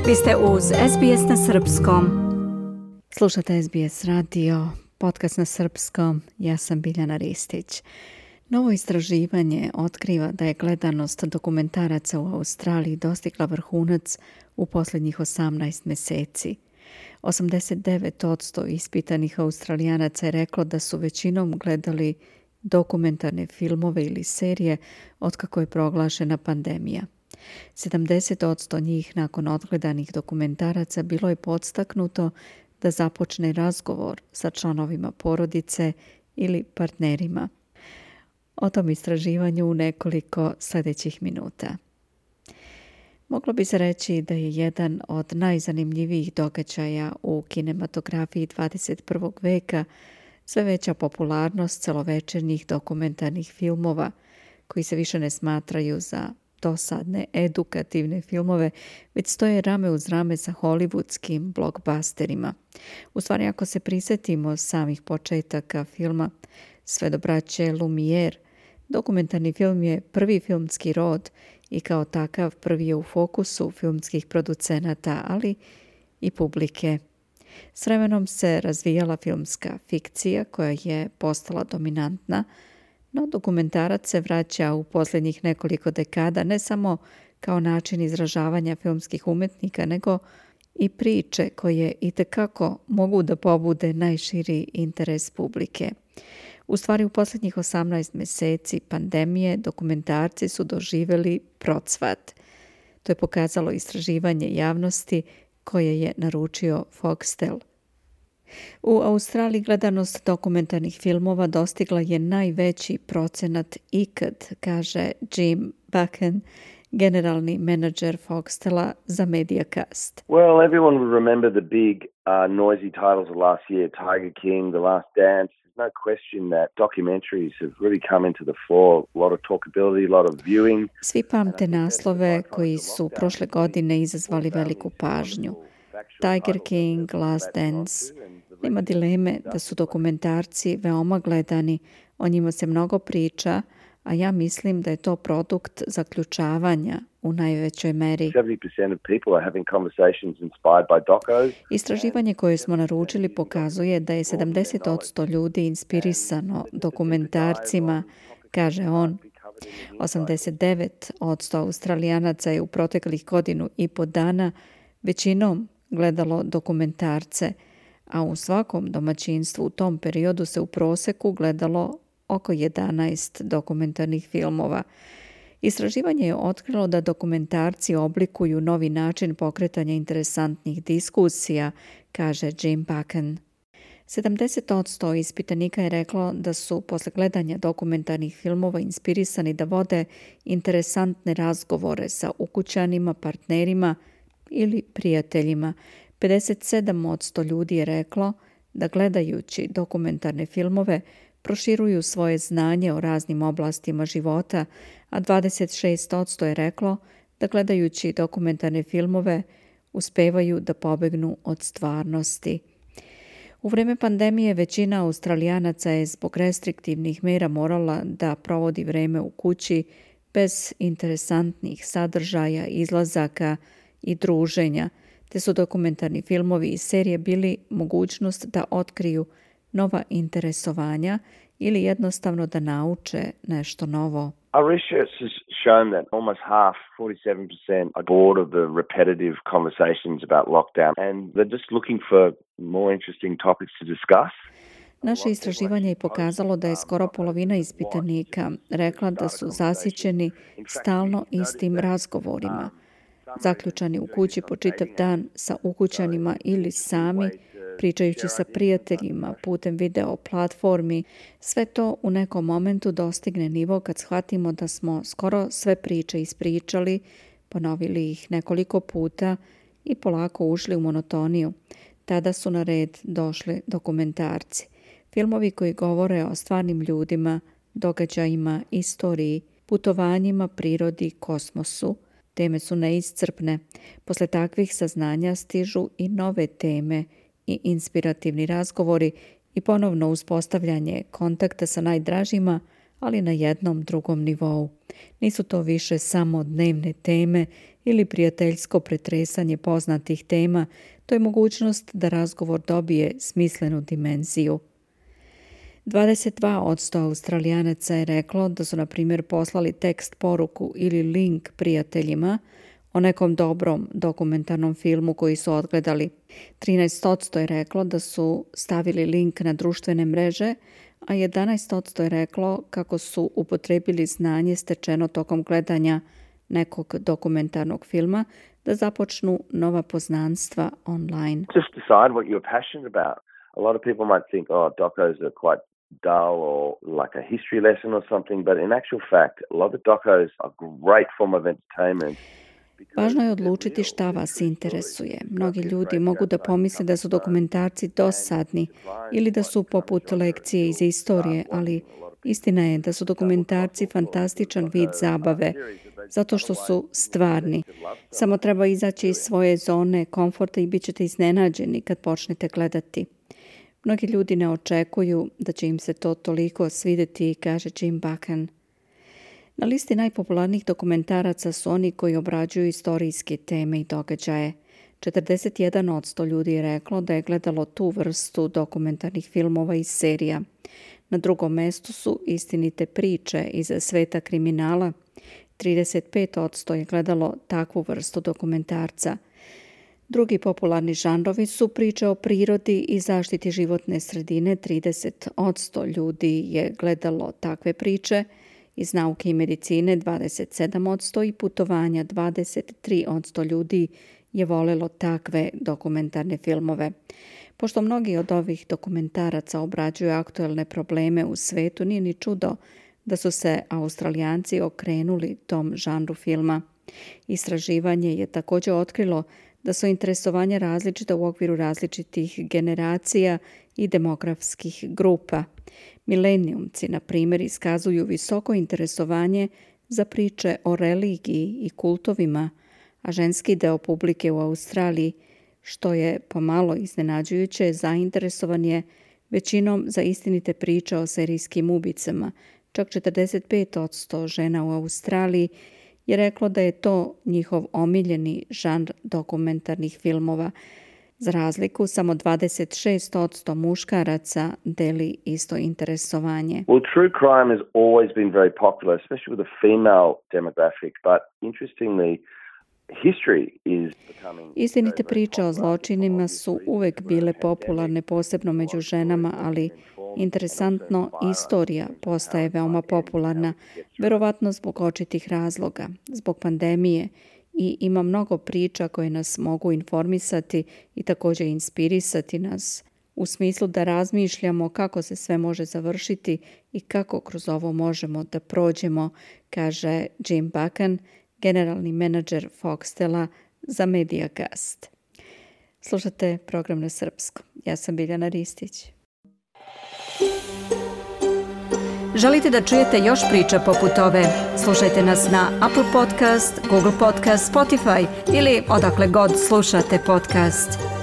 Vi ste uz SBS na srpskom. Slušate SBS radio, podcast na srpskom. Ja sam Biljana Ristić. Novo istraživanje otkriva da je gledanost dokumentaraca u Australiji dostigla vrhunac u posljednjih 18 mjeseci. 89% ispitanih Australijanaca je reklo da su većinom gledali dokumentarne filmove ili serije otkako je proglašena pandemija. 70% njih nakon odgledanih dokumentaraca bilo je podstaknuto da započne razgovor sa članovima porodice ili partnerima. O tom istraživanju u nekoliko sljedećih minuta. Moglo bi se reći da je jedan od najzanimljivijih događaja u kinematografiji 21. veka sve veća popularnost celovečernjih dokumentarnih filmova koji se više ne smatraju za dosadne edukativne filmove, već stoje rame uz rame sa hollywoodskim blockbusterima. U stvari, ako se prisjetimo samih početaka filma sve do braće Lumière, dokumentarni film je prvi filmski rod i kao takav prvi je u fokusu filmskih producenata, ali i publike. S vremenom se razvijala filmska fikcija koja je postala dominantna, no dokumentarac se vraća u posljednjih nekoliko dekada ne samo kao način izražavanja filmskih umjetnika, nego i priče koje itekako mogu da pobude najširi interes publike. U stvari, u posljednjih 18 mjeseci pandemije dokumentarci su doživjeli procvat. To je pokazalo istraživanje javnosti koje je naručio Foxtel. U Australiji gledanost dokumentarnih filmova dostigla je najveći procenat ikad, kaže Jim Buchan, generalni menadžer Foxtela za Mediacast. Well, everyone will remember the big noisy titles of last year, Tiger King, The Last Dance. There's no question that documentaries have really come into the fore, a lot of talkability, a lot of viewing. Svi pamte naslove koji su prošle godine izazvali veliku pažnju. Tiger King, Last Dance. Nema dileme da su dokumentarci veoma gledani, o njima se mnogo priča, a ja mislim da je to produkt zaključavanja u najvećoj meri. 70% of people are having conversations inspired by docos. Istraživanje koje smo naručili pokazuje da je 70% ljudi inspirisano dokumentarcima, kaže on. 89% Australijanaca je u proteklih godinu i po dana većinom gledalo dokumentarce, a u svakom domaćinstvu u tom periodu se u prosjeku gledalo oko 11 dokumentarnih filmova. Istraživanje je otkrilo da dokumentarci oblikuju novi način pokretanja interesantnih diskusija, kaže Jim Buchan. 70% ispitanika je reklo da su posle gledanja dokumentarnih filmova inspirisani da vode interesantne razgovore sa ukućanima, partnerima ili prijateljima. 57% ljudi je reklo da gledajući dokumentarne filmove proširuju svoje znanje o raznim oblastima života, a 26% je reklo da gledajući dokumentarne filmove uspevaju da pobegnu od stvarnosti. U vrijeme pandemije većina Australijanaca je zbog restriktivnih mjera morala da provodi vrijeme u kući bez interesantnih sadržaja, izlazaka i druženja, te su dokumentarni filmovi i serije bili mogućnost da otkriju nova interesovanja ili jednostavno da nauče nešto novo. Our research has shown that almost half, 47%, are bored of the repetitive conversations about lockdown and they're just looking for more interesting topics to discuss. Naše istraživanje je pokazalo da je skoro polovina ispitanika rekla da su zasićeni stalno istim razgovorima. Zaključani u kući po čitav dan sa ukućanima ili sami, pričajući sa prijateljima putem video platformi, sve to u nekom momentu dostigne nivo kad shvatimo da smo skoro sve priče ispričali, ponovili ih nekoliko puta i polako ušli u monotoniju. Tada su na red došli dokumentarci. Filmovi koji govore o stvarnim ljudima, događajima, istoriji, putovanjima, prirodi, kosmosu. Teme su neiscrpne. Posle takvih saznanja stižu i nove teme i inspirativni razgovori i ponovno uspostavljanje kontakta sa najdražima, ali na jednom drugom nivou. Nisu to više samo dnevne teme ili prijateljsko pretresanje poznatih tema, to je mogućnost da razgovor dobije smislenu dimenziju. 22% Australijanaca je reklo da su, na primjer, poslali tekst poruku ili link prijateljima o nekom dobrom dokumentarnom filmu koji su odgledali. 13% je reklo da su stavili link na društvene mreže, a 11% je reklo kako su upotrebili znanje stečeno tokom gledanja nekog dokumentarnog filma da započnu nova poznanstva online. Just decide what you're passionate about. A lot of people might think, docos are quite dull or like a history lesson or something, but in actual fact, a lot of docos are a great form of entertainment. Važno je odlučiti šta vas interesuje. Mnogi ljudi mogu da pomisle da su dokumentarci dosadni ili da su poput lekcije iz istorije, ali istina je da su dokumentarci fantastičan vid zabave, zato što su stvarni. Samo treba izaći iz svoje zone komforta i bit ćete iznenađeni kad počnete gledati. Mnogi ljudi ne očekuju da će im se to toliko svidjeti, kaže Jim Buchan. Na listi najpopularnijih dokumentaraca su oni koji obrađuju istorijske teme i događaje. 41% ljudi je reklo da je gledalo tu vrstu dokumentarnih filmova i serija. Na drugom mestu su istinite priče iz sveta kriminala. 35% je gledalo takvu vrstu dokumentarca. Drugi popularni žanrovi su priče o prirodi i zaštiti životne sredine. 30% ljudi je gledalo takve priče. Iz nauke i medicine 27% i putovanja 23% ljudi je volelo takve dokumentarne filmove. Pošto mnogi od ovih dokumentaraca obrađuju aktuelne probleme u svetu, nije ni čudo da su se Australijanci okrenuli tom žanru filma. Istraživanje je također otkrilo da su interesovanja različita u okviru različitih generacija i demografskih grupa. Milenijumci, na primjer, iskazuju visoko interesovanje za priče o religiji i kultovima, a ženski deo publike u Australiji, što je pomalo iznenađujuće, zainteresovan je većinom za istinite priče o serijskim ubicama. Čak 45% žena u Australiji je reklo da je to njihov omiljeni žanr dokumentarnih filmova. Za razliku, samo 26% muškaraca deli isto interesovanje. Well, true crime has always been very popular, especially with the female demographic, but interestingly, istinite priče o zločinima su uvek bile popularne, posebno među ženama, ali interesantno, istorija postaje veoma popularna, verovatno zbog očitih razloga, zbog pandemije, i ima mnogo priča koje nas mogu informisati i također inspirisati nas u smislu da razmišljamo kako se sve može završiti i kako kroz ovo možemo da prođemo, kaže Jim Buchan, generalni menadžer Foxtela za Mediacast. Slušate program na srpskom. Ja sam Biljana Ristić. Želite da čujete još priča poput ove? Slušajte nas na Apple Podcast, Google Podcast, Spotify ili odakle god slušate podcast.